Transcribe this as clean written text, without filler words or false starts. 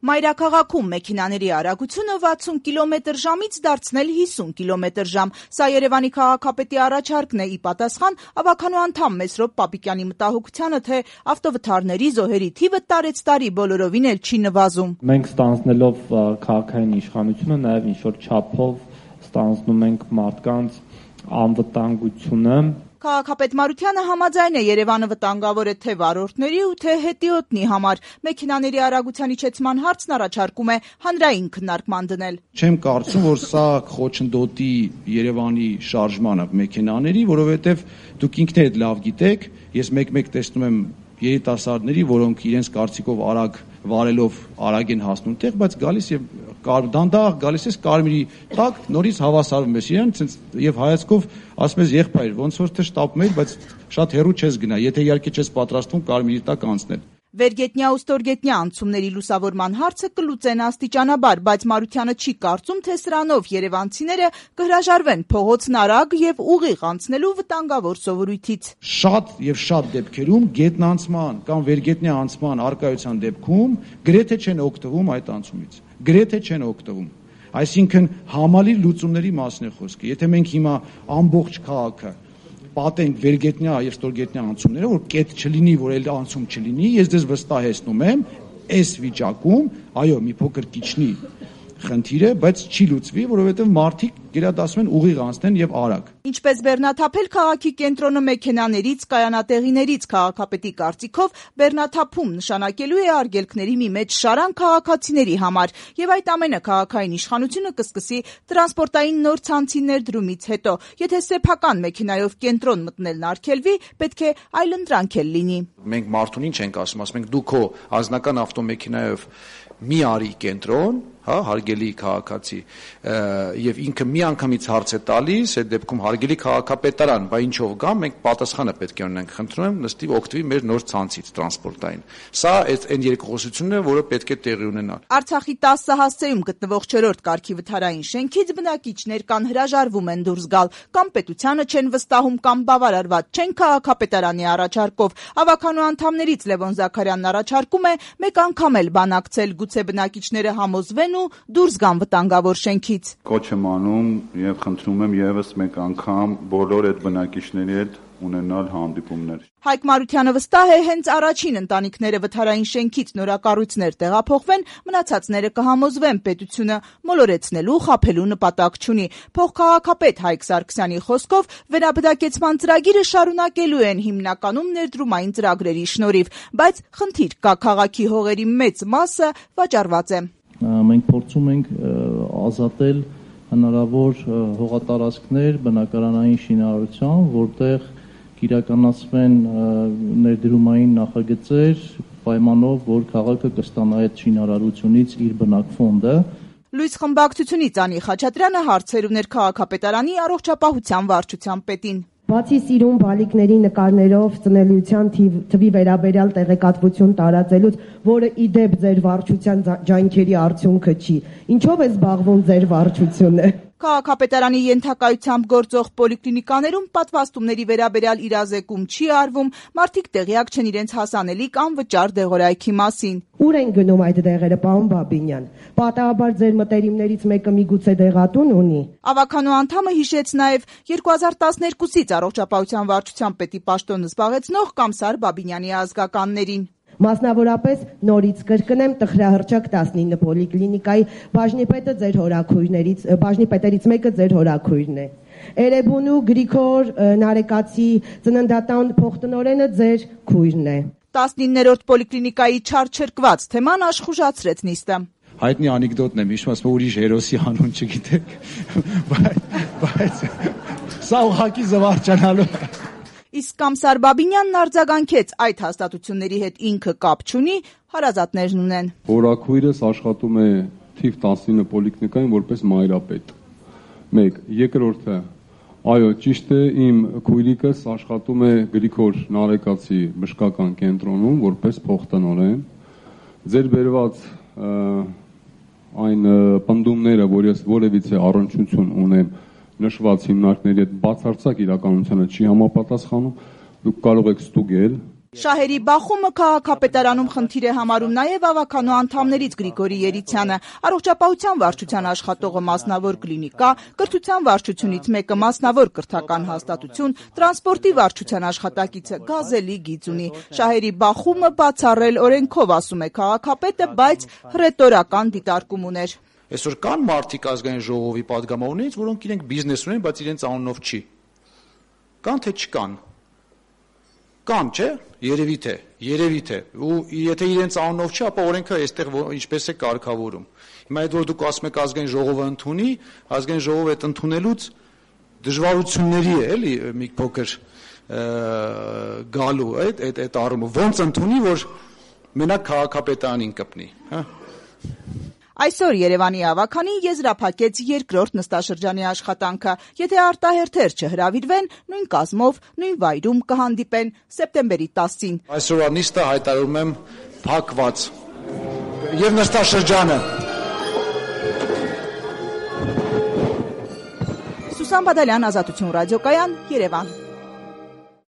Մայրաքաղաքում մեքենաների արագությունը 60 կմ/ժ-ից դարձնել 50 կմ/ժ։ Սա Երևանի քաղաքապետի առաջարկն է ի պատասխան ավականու անդամ Մեսրոպ Պապիկյանի մտահոգությանը, թե ավտովթարների զոհերի թիվը տարեցտարի բոլորովին էլ չի նվազում։ Մենք ստանձնելով քաղաքային իշխանությունը նաև ինչ-որ չափով ստանձնում ենք մարդկանց անվտանգությունը։ Քաղաքապետ Մարությանը համաձայն է, Երևանը վտանգավոր է թե վարորդների ու թե հետիոտնի համար։ Մեքենաների արագության իջեցման հարցն առաջարկում է հանրային քննարկման դնել։ Չեմ կարծում, որ սա խոչընդոտի Երևանի շարժմանը մեքենաների, որովհետև դուք ինքներդ լավ գիտեք, ես մեկ-մեկ տեսնում եմ երիտասարդների, որոնք իրենց կարծիքով արագ վարելով արագ են հասնում տեղ, բայց գալիս եւ դանդաղ գալիս ես կարմիրի տակ, նորից հավասարվում ես իրեն, եւ հայացքով ասում ես եղբայր, ոնց որ թե շտապում ես, բայց շատ հեռու չես գնա, եթե իհարկե չես պատրաստվում կարմիրի տակ անցնել։ Վերգետնյա ու ստորգետնյա անցումների լուսավորման հարցը կլուծեն աստիճանաբար, բայց Մարությանը չի կարծում, թե սրանով երևանցիները կհրաժարվեն փողոցն արագ եւ ուղիղ անցնելու վտանգավոր սովորույթից։ Շատ եւ շատ դեպքերում գետնանցման կամ վերգետնյա անցման արկայության դեպքում գրեթե չեն օգտվում այդ անցումից։ Գրեթե չեն օգտվում։ Այսինքն համալիր լուծումների մասին է խոսքը։ Եթե մենք հիմա ամբողջ քաղաքը պատենք վերգետնյա եւ ստորգետնյա անցումները, որ կետ չլինի, որ էլ անցում չլինի, ես դες վստահեցնում եմ, այս վիճակում, այո, մի փոքր կիչնի խնդիր է, բայց չի լուծվի, որովհետև մարդիկ գերադասում են ուղիղ անցնեն եւ արագ։ Ինչպես բեռնաթափել քաղաքի կենտրոնը մեքենաներից, կայանատեղիներից, քաղաքապետի կարծիքով բեռնաթափում նշանակելու է արգելքների մի մեծ շարան քաղաքացիների համար, եւ այդ ամենը քաղաքային իշխանությունը կսկսի տրանսպորտային նոր ցանցի ներդրումից հետո։ Եթե սեփական մեքենայով կենտրոն մտնելն արգելվի, պետք է այլընտրանք էլ լինի։ Մենք մարդուն ինչ ենք ասում ենք դու քո անձնական ավտոմեքենայով մի արի կենտրոն, հա, հարգելի քաղաքացի, եւ ինքը մի անգամից հարց է տալիս, այդ դեպքում հարգելի քաղաքապետարան, բա ինչով գա, մենք պատասխանը պետք է ունենանք, խնդրում եմ, նստի օգտվի մեր նոր ցանցից տրանսպորտային։ Սա այն երկխոսությունն է, որը պետք է տեղի ունենա։ Արցախի 10 հասցեում գտնվող 4-րդ կարգի վթարային շենքից բնակիչներ կան հրաժարվում են դուրս գալ, կամ պետությանը չեն վստահում, կամ բավարարված չեն քաղաքապետարանի առաջարկով։ Ավականու անդամներից Լևոն Զաքարյանն առաջարկում է մեկ անգամ էլ բանակցել, գուցե բնակիչները համոզվեն ու դուրս գան վտանգավոր շենքից։ Կոչ եմ անում եւ խնդրում եմ եւս մեկ անգամ բոլոր այդ բնակիչների հետ ունենալ հանդիպումներ։ Հայկ Մարությանը վստահ է, հենց առաջին ընտանիքները վթարային շենքից նորակառույցներ տեղափոխվեն, մնացածները կհամոզվեն, պետությունը մոլորեցնելու, խաբելու նպատակ չունի։ Փոխքաղաքապետ Հայկ Սարգսյանի խոսքով վերաբնակեցման ծրագիրը շարունակելու են հիմնականում ներդրումային ծրագրերի շնորհիվ, բայց խնդիր կա, քաղաքի հողերի մեծ մասը վաճառված է։ Մենք փորձում ենք ազատել հնարավոր հողատարածքներ բնակարանային շինարարության, որտեղ կիրականացվեն ներդրումային նախագծեր պայմանով, որ քաղաքը կստանա այդ շինարարությունից իր բնակ ֆոնդը։ Լույս խմբակցությունից Անի Խաչատրյանը հարցեր ուներ քաղաքապետարանի առողջապահության վարչության պետին։ Բացի սիրուն բալիկների նկարներով ծնելիության թվի վերաբերյալ տեղեկատվություն տարածելուց, որը ի դեպ ձեր վարչության ջանքերի արդյունքը չի, ինչով է զբաղվում ձեր վարչությունը։ Քաղաքապետարանի ենթակայությամբ գործող պոլիկլինիկաներում պատվաստումների վերաբերյալ իրազեկում չի արվում, մարդիկ տեղյակ չեն իրենց հասանելիք անվճար դեղորայքի մասին։ Ուր են գնում այդ դեղերը, պարոն Բաբինյան։ Պատահաբար ձեր մտերիմներից մեկը միգուցե դեղատուն ունի։ Ավականու անդամը հիշեց նաև 2012-ից առողջապահության վարչության պետի պաշտոնը զբաղեցնող Կամսար Բաբինյանի ազգականներին։ Մասնավորապես նորից կրկնեմ տխրահռչակ 19 պոլիկլինիկայի բաժնիպետերից մեկը ձեր հորաքույրն է։ Էրեբունու Գրիգոր Նարեկացի ծննդատան փոխտնօրենը ձեր քույրն է։ 19-րդ պոլիկլինիկայի չարչրկված թեման աշխուժացրեց նիստը։ Հայտնի անեկդոտն եմ հիշում, ասում ուրիշ հերոսի անուն չգիտեք, բայց սա ուղղակի զվարճանալու։ Իսկ Կամսար Բաբինյանն արձագանքեց այդ հաստատությունների հետ ինքը կապ չունի, հարազատներն ունեն։ Հորաքույրս աշխատում է թիվ 19 պոլիկլինիկայում որպես մայրապետ։ 1. Երկրորդը, այո, ճիշտ է, իմ քույրիկս աշխատում է Գրիգոր Նարեկացի բժշկական կենտրոնում որպես փոխտնօրեն։ Ձեր բերված այն պնդումները, որ ես որևիցե առնչություն ունեմ նշված հիմնարկների հետ բացարձակ իրականությանը չի համապատասխանում, դուք կարող եք ստուգել Շահերի բախումը քաղաքապետարանում խնդիր է համարում նաև ավականու անդամներից Գրիգորի Երիցյանը։ Առողջապահության վարչության աշխատողը մասնավոր կլինիկա, կրթության վարչությունից մեկը մասնավոր կրթական հաստատություն, տրանսպորտի վարչության աշխատակիցը գազելի գիծ ունի։ Շահերի բախումը բացառել օրենքով, ասում է քաղաքապետը, բայց հռետորական դիտարկում ուներ։ Այսօր կան մարդիկ ազգային ժողովի падգամավորներից, որոնք իրենք բիզնես ունեն, բայց իրենց անունով չի։ Կան թե չկան։ Կան, չէ՞, երևի թե, ու եթե իրենց անունով չի, ապա օրենքը այստեղ ինչպես է կարգավորում։ Հիմա այդ որ դուք ասում եք ազգային ժողովը ընդունի, ազգային ժողովը այդ ընդունելուց դժվարությունների է, էլի մի փոքր գալու այդ առումը, ոնց ընդունի, որ մենակ քաղաքապետարանին կպնի, հա։ Այսօր Երևանի ավականի եզրափակեց երկրորդ նստաշրջանի աշխատանքը։ Եթե արտահերթեր չհրավիրվեն, նույն կազմով, նույն վայրում կհանդիպեն սեպտեմբերի 10-ին։ Այսօրվա նիստը հայտարարում եմ փակված։ Եվ նստաշրջանը։ Սուսան Բադալյան, Ազատություն ռադիոկայան, Երևան։